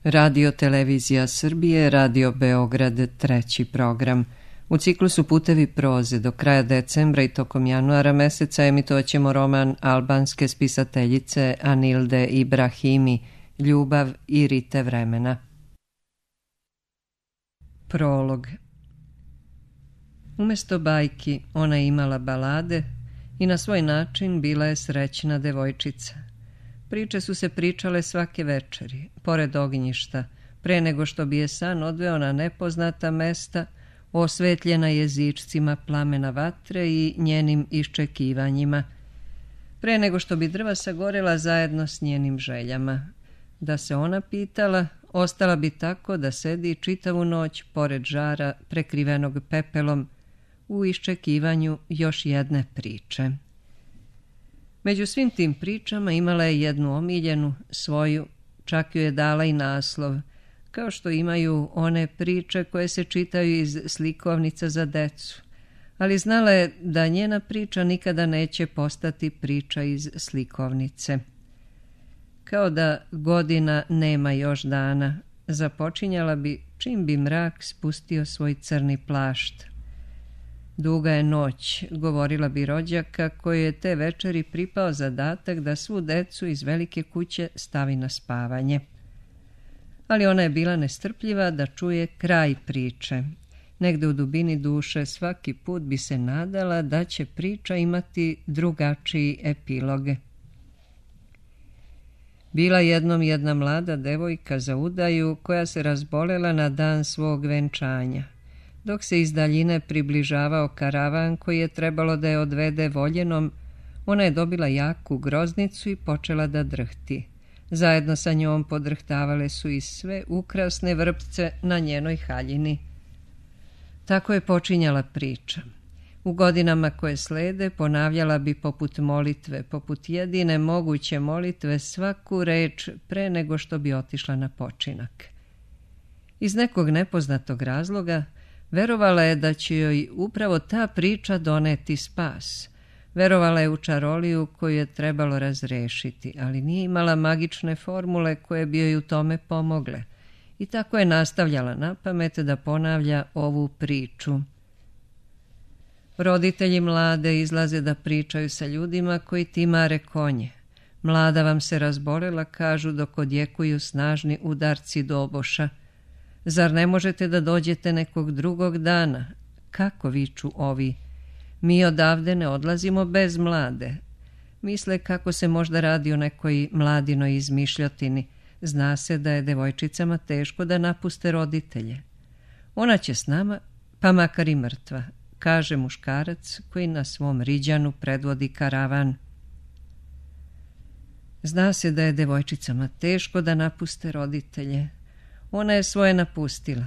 Radio Televizija Srbije, Radio Beograd, treći program. U ciklusu Putevi proze do kraja decembra i tokom januara meseca emitovaćemo roman albanske spisateljice Anilde Ibrahimi, Ljubav i rite vremena. Prolog. Umesto bajki ona je imala balade i na svoj način bila je srećna devojčica. Priče su se pričale svake večeri, pored ognjišta, pre nego što bi je san odveo na nepoznata mesta, osvetljena jezičcima plamena vatre i njenim iščekivanjima, pre nego što bi drva sagorela zajedno s njenim željama. Da se ona pitala, ostala bi tako da sedi čitavu noć pored žara prekrivenog pepelom u iščekivanju još jedne priče. Među svim tim pričama imala je jednu omiljenu, svoju, čak ju je dala i naslov, kao što imaju one priče koje se čitaju iz slikovnica za decu, ali znala je da njena priča nikada neće postati priča iz slikovnice. Kao da godina nema još dana, započinjala bi čim bi mrak spustio svoj crni plašt. Duga je noć, govorila bi rođaka koji je te večeri pripao zadatak da svu decu iz velike kuće stavi na spavanje. Ali ona je bila nestrpljiva da čuje kraj priče. Negde u dubini duše svaki put bi se nadala da će priča imati drugačiji epilog. Bila jednom jedna mlada devojka za udaju koja se razbolela na dan svog venčanja. Dok se iz daljine približavao karavan koji je trebalo da je odvede voljenom, ona je dobila jaku groznicu i počela da drhti. Zajedno sa njom podrhtavale su i sve ukrasne vrpce na njenoj haljini. Tako je počinjala priča. U godinama koje slede ponavljala bi poput molitve, poput jedine moguće molitve svaku reč pre nego što bi otišla na počinak. Iz nekog nepoznatog razloga verovala je da će joj upravo ta priča doneti spas. Verovala je u čaroliju koju je trebalo razrešiti, ali nije imala magične formule koje bi joj u tome pomogle. I tako je nastavljala napamet da ponavlja ovu priču. Roditelji mlade izlaze da pričaju sa ljudima koji timare konje. Mlada vam se razbolela, kažu dok odjekuju snažni udarci doboša. Zar ne možete da dođete nekog drugog dana? Kako viču ovi? Mi odavde ne odlazimo bez mlade. Misle kako se možda radi o nekoj mladinoj izmišljotini. Zna se da je devojčicama teško da napuste roditelje. Ona će s nama, pa makar i mrtva, kaže muškarac koji na svom riđanu predvodi karavan. Zna se da je devojčicama teško da napuste roditelje. Ona je svoje napustila.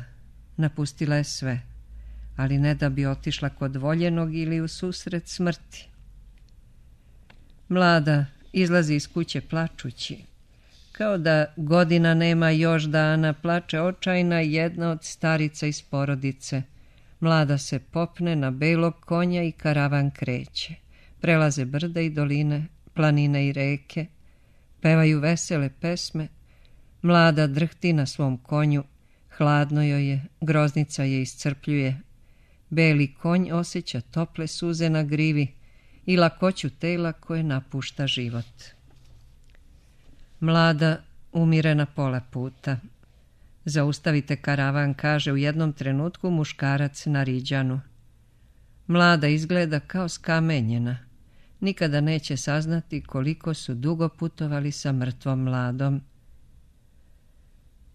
Napustila je sve. Ali ne da bi otišla kod voljenog ili u susret smrti. Mlada izlazi iz kuće plačući. Kao da godina nema još dana, plače očajna jedna od starica iz porodice. Mlada se popne na belog konja i karavan kreće. Prelaze brda i doline, planine i reke. Pevaju vesele pesme. Mlada drhti na svom konju, hladno joj je, groznica je iscrpljuje. Beli konj osjeća tople suze na grivi i lakoću tela koje napušta život. Mlada umire na pola puta. Zaustavite karavan, kaže u jednom trenutku muškarac na riđanu. Mlada izgleda kao skamenjena. Nikada neće saznati koliko su dugo putovali sa mrtvom mladom.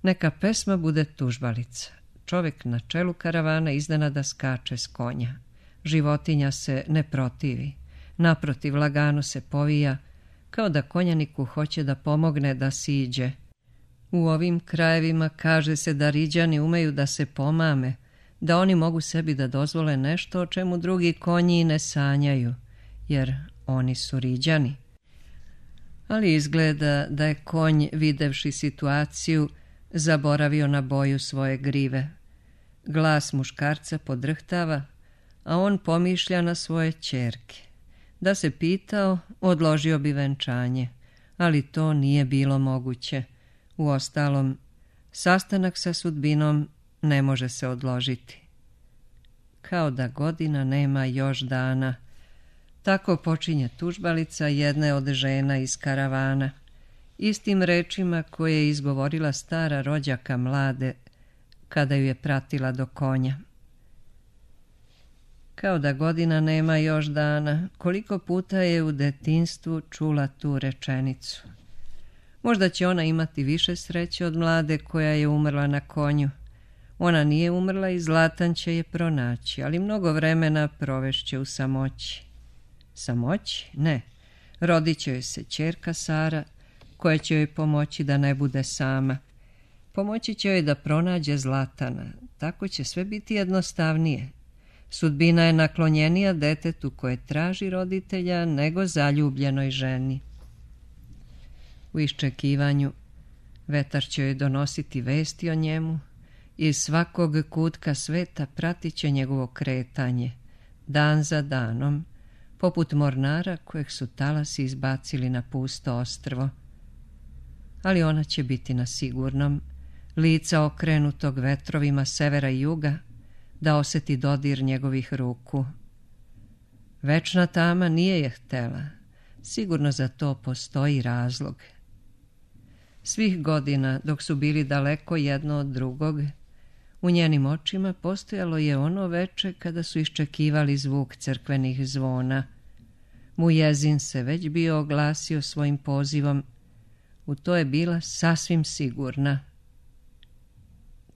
Neka pesma bude tužbalica. Čovjek na čelu karavana iznenada skače s konja. Životinja se ne protivi. Naprotiv, lagano se povija, kao da konjaniku hoće da pomogne da siđe. U ovim krajevima kaže se da riđani umeju da se pomame, da oni mogu sebi da dozvole nešto o čemu drugi konji ne sanjaju, jer oni su riđani. Ali izgleda da je konj, videvši situaciju, zaboravio na boju svoje grive. Glas muškarca podrhtava, a on pomišlja na svoje ćerke. Da se pitao, odložio bi venčanje, ali to nije bilo moguće. Uostalom, Sastanak sa sudbinom ne može se odložiti. Kao da godina nema još dana. Tako počinje tužbalica jedne od žena iz karavana, istim rečima koje je izgovorila stara rođaka mlade kada ju je pratila do konja. Kao da godina nema još dana, koliko puta je u detinjstvu čula tu rečenicu. Možda će ona imati više sreće od mlade koja je umrla na konju. Ona nije umrla i Zlatan će je pronaći, ali mnogo vremena provešće u samoći. Samoći? Ne. Rodit će joj se ćerka Sara, koja će joj pomoći da ne bude sama. Pomoći će joj da pronađe Zlatana. Tako će sve biti jednostavnije. Sudbina je naklonjenija detetu koje traži roditelja nego zaljubljenoj ženi. U iščekivanju vetar će joj donositi vesti o njemu. Iz svakog kutka sveta pratit će njegovo kretanje, dan za danom, poput mornara kojeg su talasi izbacili na pusto ostrvo. Ali ona će biti na sigurnom, lica okrenutog vetrovima severa i juga, da osjeti dodir njegovih ruku. Večna tama nije je htela, sigurno za to postoji razlog. Svih godina, dok su bili daleko jedno od drugog, u njenim očima postojalo je ono veče kada su iščekivali zvuk crkvenih zvona. Mujezin se već bio oglasio svojim pozivom. U to je bila sasvim sigurna.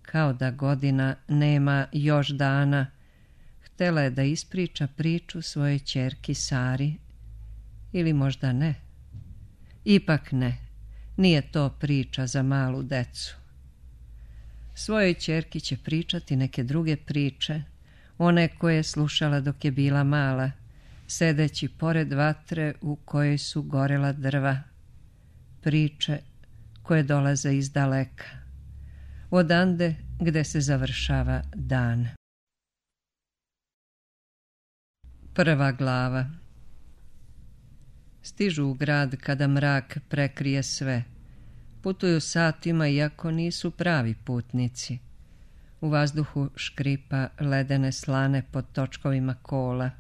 Kao da godina nema još dana, htjela je da ispriča priču svojoj ćerki Sari. Ili možda ne. Ipak ne. Nije to priča za malu decu. Svojoj ćerki će pričati neke druge priče, one koje je slušala dok je bila mala, sedeći pored vatre u kojoj su gorela drva. Priče koje dolaze iz daleka, odande gde se završava dan. Prva glava. Stižu u grad kada mrak prekrije sve. Putuju satima iako nisu pravi putnici. U vazduhu škripa ledene slane pod točkovima kola.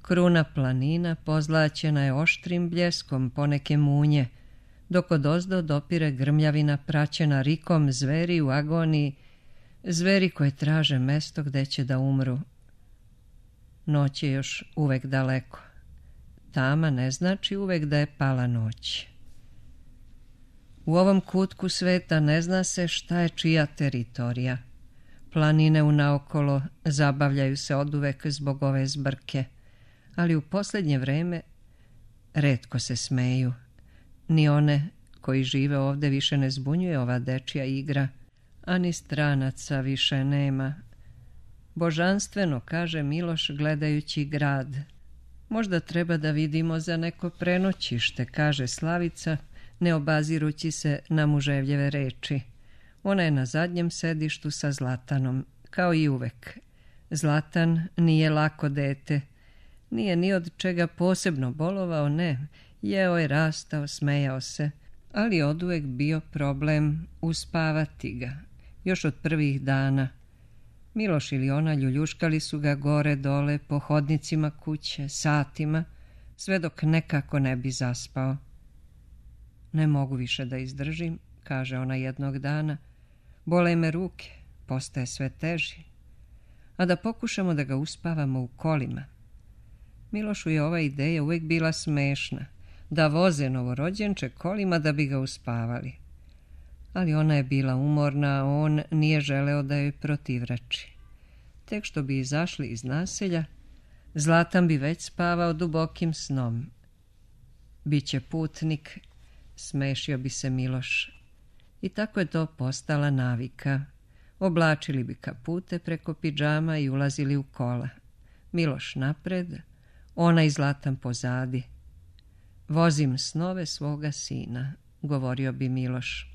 Kruna planina pozlaćena je oštrim bljeskom poneke munje, dok odozdo dopire grmljavina praćena rikom zveri u agoniji, zveri koje traže mesto gde će da umru. Noć je još uvek daleko. Tama ne znači uvek da je pala noć. U ovom kutku sveta ne zna se šta je čija teritorija. Planine unaokolo zabavljaju se oduvek zbog ove zbrke, ali u posljednje vreme retko se smeju. Ni one koji žive ovde više ne zbunjuje ova dečija igra, a ni stranaca više nema. Božanstveno, kaže Miloš gledajući grad. Možda treba da vidimo za neko prenoćište, kaže Slavica, ne obazirući se na muževljeve reči. Ona je na zadnjem sedištu sa Zlatanom, kao i uvek. Zlatan nije lako dete. Nije ni od čega posebno bolovao, ne. Jeo je, rastao, smejao se, ali oduvek bio problem uspavati ga, još od prvih dana. Miloš ili ona ljuljuškali su ga gore dole po hodnicima kuće, satima, sve dok nekako ne bi zaspao. Ne mogu više da izdržim, kaže ona jednog dana. Bole me ruke, postaje sve teži. A da pokušamo da ga uspavamo u kolima. Milošu je ova ideja uvijek bila smešna, da voze novorođenče kolima da bi ga uspavali. Ali ona je bila umorna, a on nije želeo da joj protivrači. Tek što bi izašli iz naselja, Zlatan bi već spavao dubokim snom. Biće putnik, smešio bi se Miloš. I tako je to postala navika. Oblačili bi kapute preko pidžama i ulazili u kola. Miloš napred, ona i Zlatan pozadi. Vozim snove svoga sina, govorio bi Miloš.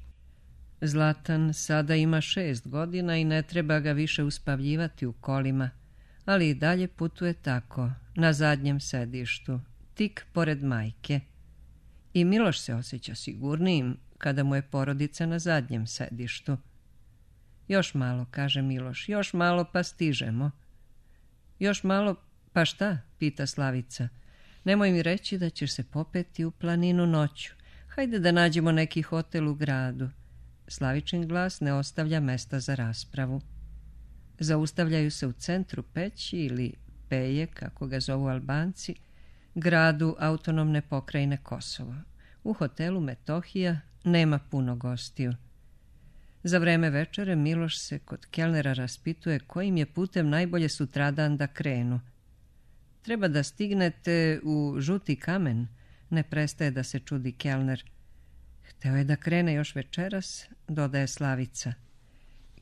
Zlatan sada ima 6 godina i ne treba ga više uspavljivati u kolima, ali i dalje putuje tako, na zadnjem sedištu, tik pored majke. I Miloš se osjeća sigurnijim kada mu je porodica na zadnjem sedištu. Još malo, kaže Miloš, još malo pa stižemo. Još malo, pa šta, pita Slavica. Nemoj mi reći da ćeš se popeti u planinu noću. Hajde da nađemo neki hotel u gradu. Slavičin glas ne ostavlja mesta za raspravu. Zaustavljaju se u centru Peći ili Peje, kako ga zovu Albanci, gradu autonomne pokrajine Kosovo. U hotelu Metohija nema puno gostiju. Za vreme večere Miloš se kod kelnera raspituje kojim je putem najbolje sutradan da krenu. Treba da stignete u Žuti kamen, ne prestaje da se čudi kelner. Hteo je da krene još večeras, dodaje Slavica.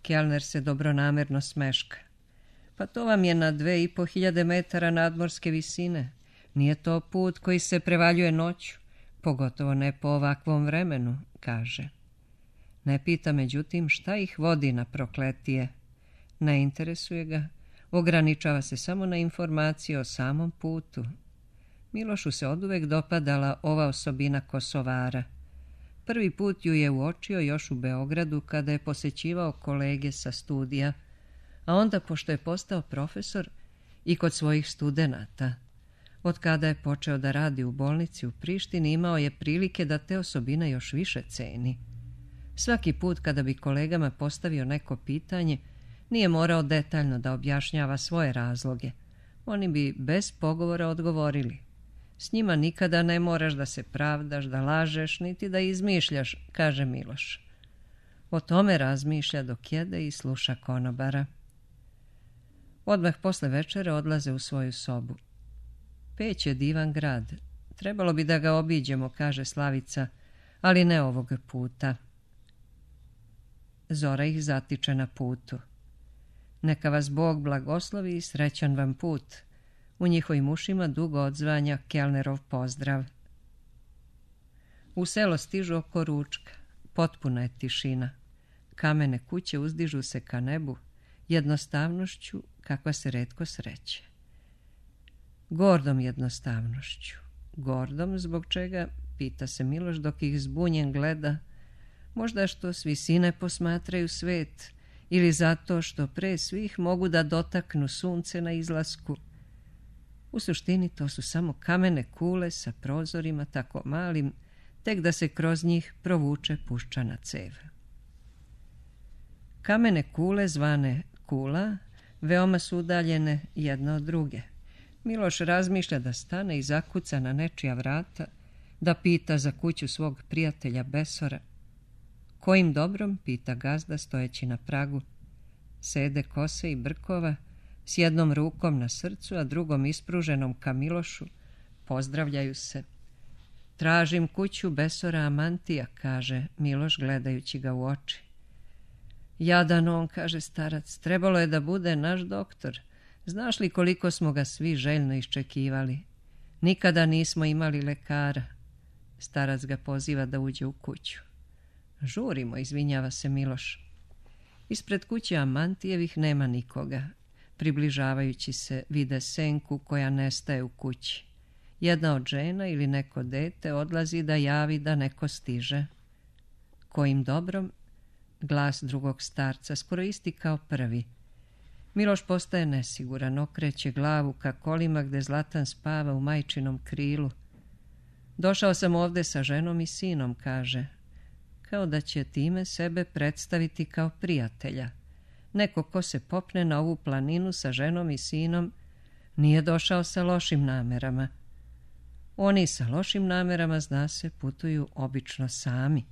Kelner se dobronamerno smeška. Pa to vam je na 2500 metara nadmorske visine. Nije to put koji se prevaljuje noću, pogotovo ne po ovakvom vremenu, kaže. Ne pita međutim šta ih vodi na prokletije. Ne interesuje ga, ograničava se samo na informacije o samom putu. Milošu se oduvek dopadala ova osobina Kosovara. Prvi put ju je uočio još u Beogradu kada je posećivao kolege sa studija, a onda pošto je postao profesor i kod svojih studenata. Od kada je počeo da radi u bolnici u Prištini imao je prilike da te osobine još više ceni. Svaki put kada bi kolegama postavio neko pitanje, nije morao detaljno da objašnjava svoje razloge. Oni bi bez pogovora odgovorili. S njima nikada ne moraš da se pravdaš, da lažeš, niti da izmišljaš, kaže Miloš. O tome razmišlja dok jede i sluša konobara. Odmah posle večere odlaze u svoju sobu. Peć je divan grad. Trebalo bi da ga obiđemo, kaže Slavica, ali ne ovog puta. Zora ih zatiče na putu. Neka vas Bog blagoslovi i srećan vam put. U njihovim ušima dugo odzvanja kelnerov pozdrav. U selo stižu oko ručka. Potpuna je tišina. Kamene kuće uzdižu se ka nebu, jednostavnošću kakva se retko sreće. Gordom jednostavnošću. Gordom zbog čega, pita se Miloš dok ih zbunjen gleda, možda što s visine posmatraju svet ili zato što pre svih mogu da dotaknu sunce na izlasku. U suštini to su samo kamene kule sa prozorima tako malim, tek da se kroz njih provuče puščana cev. Kamene kule zvane kula veoma su udaljene jedna od druge. Miloš razmišlja da stane i zakuca na nečija vrata, da pita za kuću svog prijatelja Besora. Kojim dobrom, pita gazda stojeći na pragu. Sede kose i brkova, s jednom rukom na srcu, a drugom ispruženom ka Milošu, pozdravljaju se. Tražim kuću Besora Amantija, kaže Miloš gledajući ga u oči. Jadan on, kaže starac, trebalo je da bude naš doktor. Znaš li koliko smo ga svi željno iščekivali? Nikada nismo imali lekara. Starac ga poziva da uđe u kuću. Žurimo, izvinjava se Miloš. Ispred kuće Amantijevih nema nikoga. Približavajući se vide senku koja nestaje u kući. Jedna od žena ili neko dete odlazi da javi da neko stiže. Kojim dobrom? Glas drugog starca, skoro isti kao prvi. Miloš postaje nesiguran, okreće glavu ka kolima gde Zlatan spava u majčinom krilu. Došao sam ovde sa ženom i sinom, kaže. Kao da će time sebe predstaviti kao prijatelja. Neko ko se popne na ovu planinu sa ženom i sinom nije došao sa lošim namerama. Oni sa lošim namerama, zna se, putuju obično sami.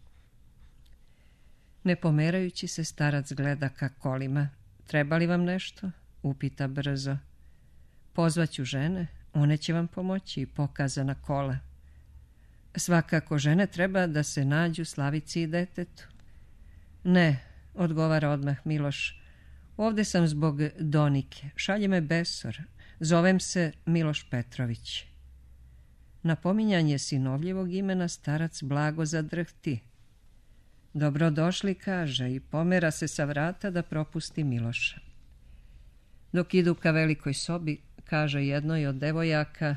Ne pomerajući se, starac gleda ka kolima. Treba li vam nešto? Upita brzo. Pozvaću žene, one će vam pomoći, pokaza na kola. Svakako žene treba da se nađu Slavici i detetu. Ne, odgovara odmah Miloš. Ovde sam zbog Donike. Šalje me Besor. Zovem se Miloš Petrović. Na pominjanje sinovljevog imena starac blago zadrhti. Dobrodošli, kaže, i pomera se sa vrata da propusti Miloša. Dok idu ka velikoj sobi, kaže jednoj od devojaka,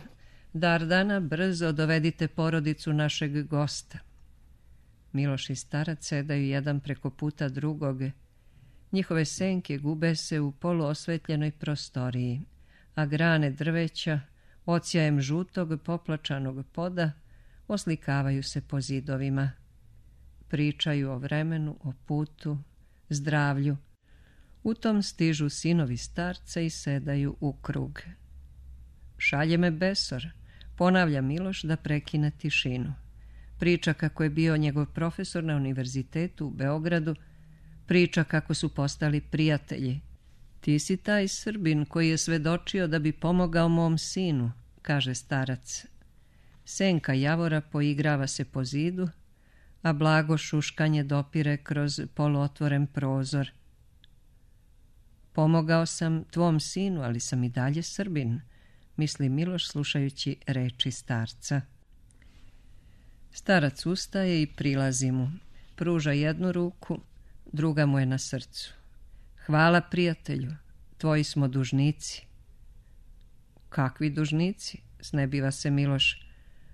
Dardana, brzo dovedite porodicu našeg gosta. Miloš i starac sedaju jedan preko puta drugog. Njihove senke gube se u poluosvetljenoj prostoriji, a grane drveća, odsjajem žutog poplačanog poda, oslikavaju se po zidovima. Pričaju o vremenu, o putu, zdravlju. U tom stižu sinovi starca i sedaju u krug. Šalje me besor, ponavlja Miloš da prekine tišinu. Priča kako je bio njegov profesor na univerzitetu u Beogradu, priča kako su postali prijatelji. Ti si taj Srbin koji je svedočio da bi pomogao mom sinu, kaže starac. Senka javora poigrava se po zidu, a blago šuškanje dopire kroz poluotvoren prozor. Pomogao sam tvom sinu, ali sam i dalje Srbin, misli Miloš slušajući reči starca. Starac ustaje i prilazi mu. Pruža jednu ruku, druga mu je na srcu. Hvala prijatelju, tvoji smo dužnici. Kakvi dužnici? Snebiva se Miloš.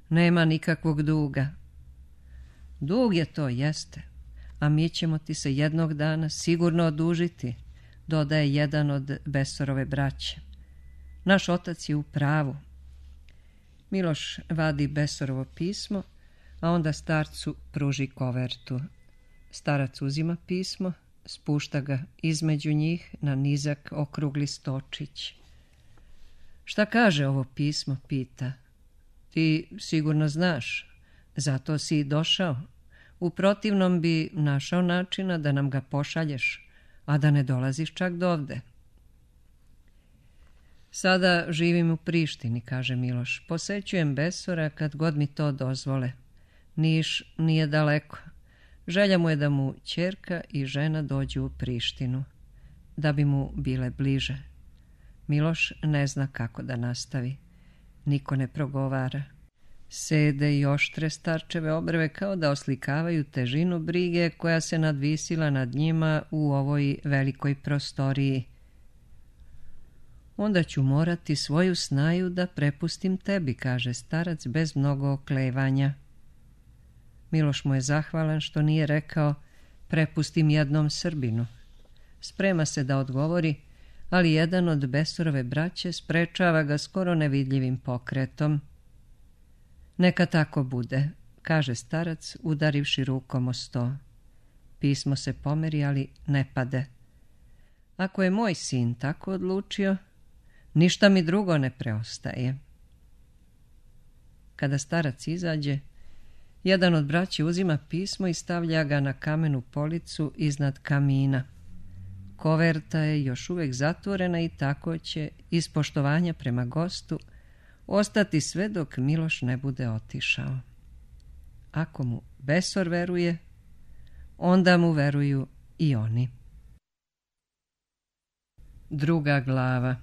Nema nikakvog duga. Dug je to, jeste, a mi ćemo ti se jednog dana sigurno odužiti, dodaje jedan od Besorove braće. Naš otac je u pravu. Miloš vadi Besorovo pismo, a onda starcu pruži kovertu. Starac uzima pismo, spušta ga između njih na nizak okrugli stočić. Šta kaže ovo pismo, pita. Ti sigurno znaš, zato si i došao. U protivnom bi našao načina da nam ga pošalješ, a da ne dolaziš čak dovde. Sada živim u Prištini, kaže Miloš. Posećujem Besora kad god mi to dozvole. Niš nije daleko. Želja mu je da mu ćerka i žena dođu u Prištinu, da bi mu bile bliže. Miloš ne zna kako da nastavi. Niko ne progovara. Sede i oštre starčeve obrve kao da oslikavaju težinu brige koja se nadvisila nad njima u ovoj velikoj prostoriji. Onda ću morati svoju snaju da prepustim tebi, kaže starac bez mnogo oklevanja. Miloš mu je zahvalan što nije rekao prepustim jednom Srbinu. Sprema se da odgovori, ali jedan od Besorove braće sprečava ga skoro nevidljivim pokretom. Neka tako bude, kaže starac udarivši rukom o sto. Pismo se pomeri, ali ne pade. Ako je moj sin tako odlučio, ništa mi drugo ne preostaje. Kada starac izađe, jedan od braće uzima pismo i stavlja ga na kamenu policu iznad kamina. Koverta je još uvijek zatvorena i tako će, iz poštovanja prema gostu, ostati sve dok Miloš ne bude otišao. Ako mu Besor veruje, onda mu veruju i oni. Druga glava.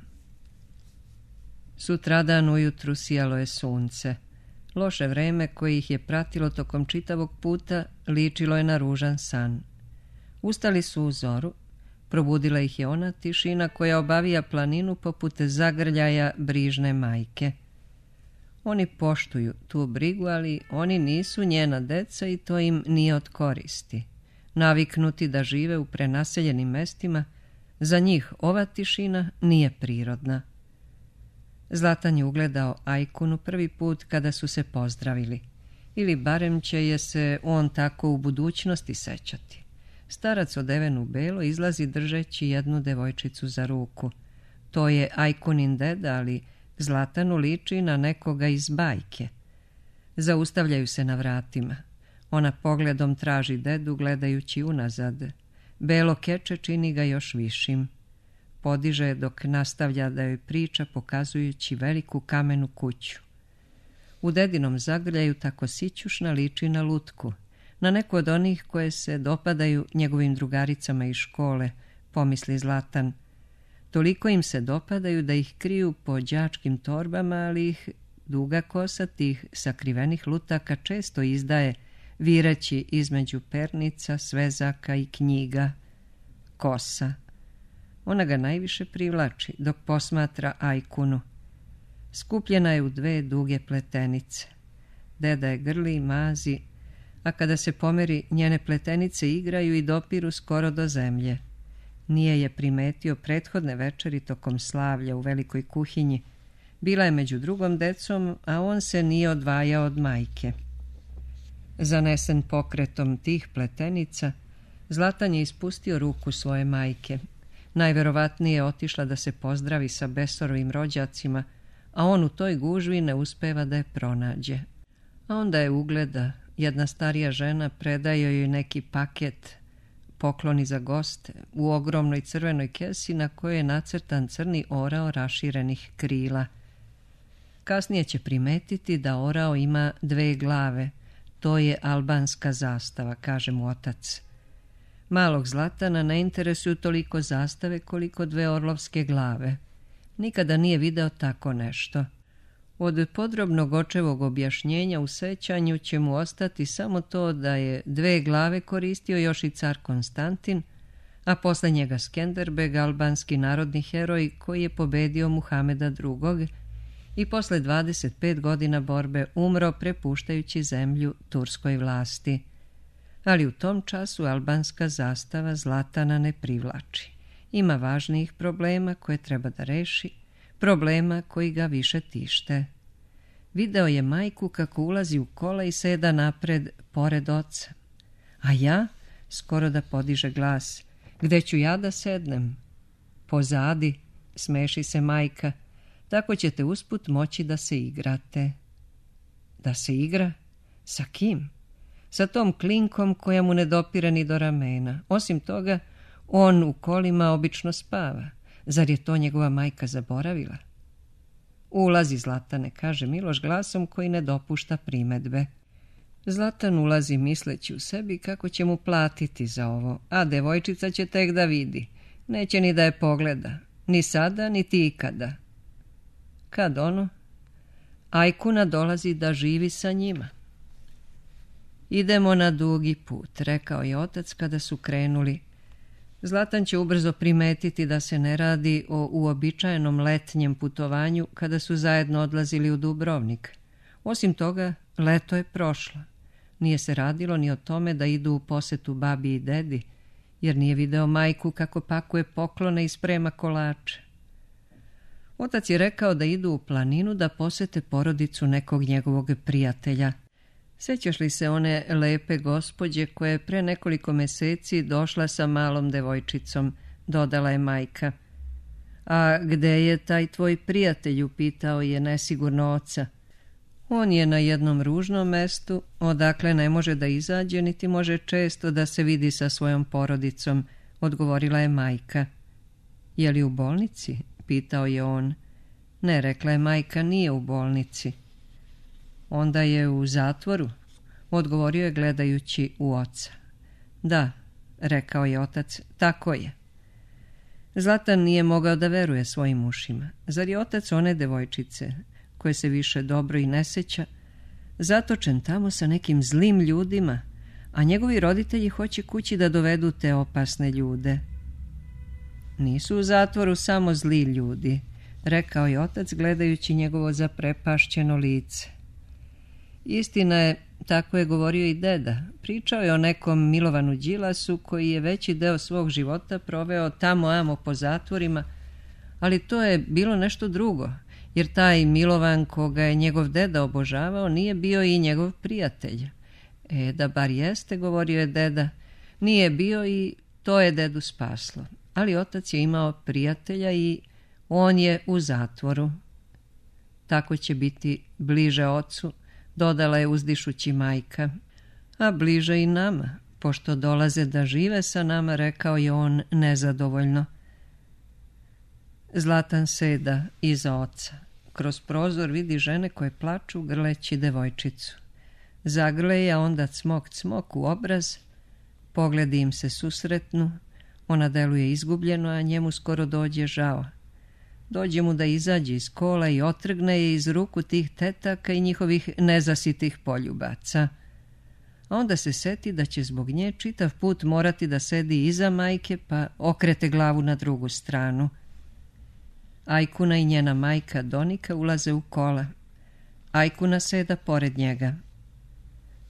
Sutradan ujutru sijalo je sunce. Loše vreme koje ih je pratilo tokom čitavog puta ličilo je na ružan san. Ustali su u zoru, probudila ih je ona tišina koja obavija planinu poput zagrljaja brižne majke. Oni poštuju tu brigu, ali oni nisu njena deca i to im nije od koristi. Naviknuti da žive u prenaseljenim mestima, za njih ova tišina nije prirodna. Zlatan je ugledao Ajkunu prvi put kada su se pozdravili. Ili barem će je se on tako u budućnosti sećati. Starac odeven u belo izlazi držeći jednu devojčicu za ruku. To je Ajkunin deda, ali Zlatanu liči na nekoga iz bajke. Zaustavljaju se na vratima. Ona pogledom traži dedu gledajući unazad. Belo keče čini ga još višim. Podiže dok nastavlja da joj priča pokazujući veliku kamenu kuću. U dedinom zagrljaju tako sićušna liči na lutku, na neku od onih koje se dopadaju njegovim drugaricama iz škole, pomisli Zlatan. Toliko im se dopadaju da ih kriju po đačkim torbama, ali ih duga kosa tih sakrivenih lutaka često izdaje, vireći između pernica, svezaka i knjiga. Kosa. Ona ga najviše privlači dok posmatra Ajkunu. Skupljena je u dve duge pletenice. Deda je grli i mazi, a kada se pomeri, njene pletenice igraju i dopiru skoro do zemlje. Nije je primetio prethodne večeri tokom slavlja u velikoj kuhinji. Bila je među drugom decom, a on se nije odvajao od majke. Zanesen pokretom tih pletenica, Zlatan je ispustio ruku svoje majke. Najverovatnije je otišla da se pozdravi sa Besorovim rođacima, a on u toj gužvi ne uspeva da je pronađe. A onda je ugleda, jedna starija žena predaje joj neki paket, pokloni za goste, u ogromnoj crvenoj kesi na kojoj je nacrtan crni orao raširenih krila. Kasnije će primetiti da orao ima 2 glave. To je albanska zastava, kaže mu otac. Malog Zlatana ne interesuju toliko zastave koliko 2 orlovske glave. Nikada nije video tako nešto. Od podrobnog očevog objašnjenja u sećanju će mu ostati samo to da je 2 glave koristio još i car Konstantin, a posle njega Skenderbeg, albanski narodni heroj koji je pobedio Muhameda II. I posle 25 godina borbe umro prepuštajući zemlju turskoj vlasti. Ali u tom času albanska zastava Zlatana ne privlači. Ima važnijih problema koje treba da reši, problema koji ga više tište. Video je majku kako ulazi u kola i seda napred, pored oca. A ja, skoro da podiže glas, gde ću ja da sednem? Pozadi, smeši se majka, tako ćete usput moći da se igrate. Da se igra? Sa kim? Sa tom klinkom koja mu ne dopire ni do ramena. Osim toga, on u kolima obično spava. Zar je to njegova majka zaboravila? Ulazi, Zlatane, kaže Miloš glasom koji ne dopušta primedbe. Zlatan ulazi misleći u sebi kako će mu platiti za ovo, a devojčica će tek da vidi. Neće ni da je pogleda, ni sada, niti ikada. Kad ono? Ajkuna dolazi da živi sa njima. Idemo na dugi put, rekao je otac kada su krenuli. Zlatan će ubrzo primetiti da se ne radi o uobičajenom letnjem putovanju kada su zajedno odlazili u Dubrovnik. Osim toga, leto je prošlo. Nije se radilo ni o tome da idu u posetu babi i dedi, jer nije video majku kako pakuje poklone i sprema kolače. Otac je rekao da idu u planinu da posete porodicu nekog njegovog prijatelja. Sećaš li se one lepe gospođe koja je pre nekoliko meseci došla sa malom devojčicom, dodala je majka. A gde je taj tvoj prijatelj, upitao je nesigurno oca. On je na jednom ružnom mestu, odakle ne može da izađe, niti može često da se vidi sa svojom porodicom, odgovorila je majka. Je li u bolnici? Pitao je on. Ne, rekla je majka, nije u bolnici. Onda je u zatvoru, odgovorio je gledajući u oca. Da, rekao je otac, tako je. Zlatan nije mogao da veruje svojim ušima. Zar je otac one devojčice, koje se više dobro i ne seća, zatočen tamo sa nekim zlim ljudima, a njegovi roditelji hoće kući da dovedu te opasne ljude? Nisu u zatvoru samo zli ljudi, rekao je otac gledajući njegovo zaprepašćeno lice. Istina je, tako je govorio i deda. Pričao je o nekom Milovanu Đilasu koji je veći deo svog života proveo tamo amo po zatvorima, ali to je bilo nešto drugo, jer taj Milovan koga je njegov deda obožavao nije bio i njegov prijatelj. Da bar jeste, govorio je deda, nije bio i to je dedu spaslo. Ali otac je imao prijatelja i on je u zatvoru. Tako će biti bliže ocu, dodala je uzdišući majka. A bliže i nama, pošto dolaze da žive sa nama, rekao je on nezadovoljno. Zlatan seda iza oca. Kroz prozor vidi žene koje plaču grleći devojčicu. Zagrle, a onda cmok cmok u obraz, pogledi im se susretnu, ona deluje izgubljeno, a njemu skoro dođe žao. Dođe mu da izađe iz kola i otrgne je iz ruku tih tetaka i njihovih nezasitih poljubaca. A onda se seti da će zbog nje čitav put morati da sedi iza majke, pa okrete glavu na drugu stranu. Ajkuna i njena majka Donika ulaze u kola. Ajkuna seda pored njega.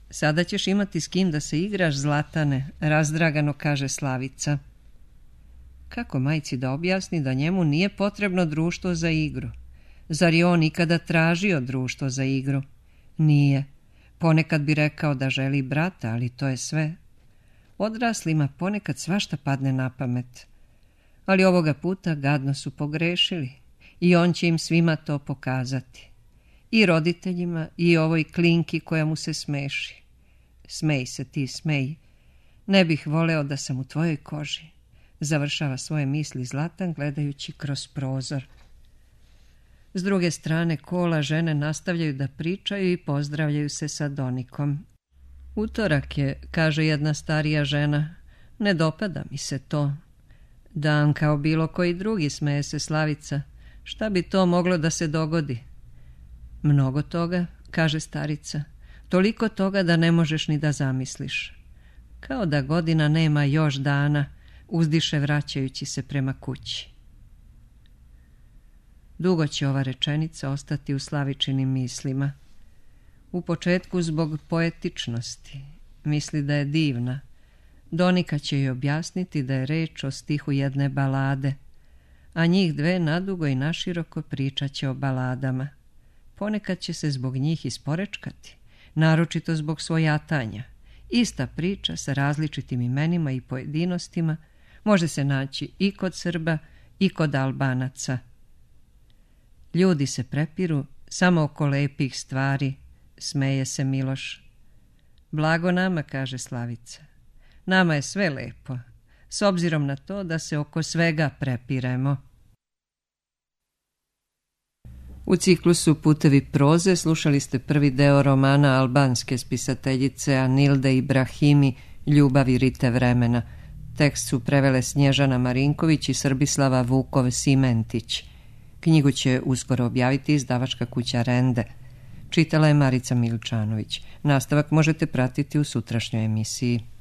Sada ćeš imati s kim da se igraš, Zlatane, razdragano kaže Slavica. Kako majci da objasni da njemu nije potrebno društvo za igru? Zar je on ikada tražio društvo za igru? Nije. Ponekad bi rekao da želi brata, ali to je sve. Odraslima ponekad svašta padne na pamet. Ali ovoga puta gadno su pogrešili i on će im svima to pokazati. I roditeljima i ovoj klinki koja mu se smeši. Smej se ti, smej. Ne bih voleo da sam u tvojoj koži. Završava svoje misli Zlatan gledajući kroz prozor. S druge strane kola žene nastavljaju da pričaju i pozdravljaju se sa Donikom. Utorak je, kaže jedna starija žena. Ne dopada mi se to. Dan kao bilo koji drugi, smeje se Slavica. Šta bi to moglo da se dogodi? Mnogo toga, kaže starica. Toliko toga da ne možeš ni da zamisliš. Kao da godina nema još dana, uzdiše vraćajući se prema kući. Dugo će ova rečenica ostati u Slavičinim mislima. U početku zbog poetičnosti. Misli da je divna. Donika će joj objasniti da je reč o stihu jedne balade, a njih dve nadugo i naširoko pričat će o baladama. Ponekad će se zbog njih isporečkati, naročito zbog svojatanja. Ista priča sa različitim imenima i pojedinostima može se naći i kod Srba i kod Albanaca. Ljudi se prepiru samo oko lepih stvari, smeje se Miloš. Blago nama, kaže Slavica. Nama je sve lepo, s obzirom na to da se oko svega prepiremo. U ciklusu Putevi proze slušali ste prvi deo romana albanske spisateljice Anilde Ibrahimi Ljubavi rite vremena. Tekst su prevele Snježana Marinković i Srbislava Vukov-Simentić. Knjigu će uskoro objaviti izdavačka kuća Rende. Čitala je Marica Miličanović. Nastavak možete pratiti u sutrašnjoj emisiji.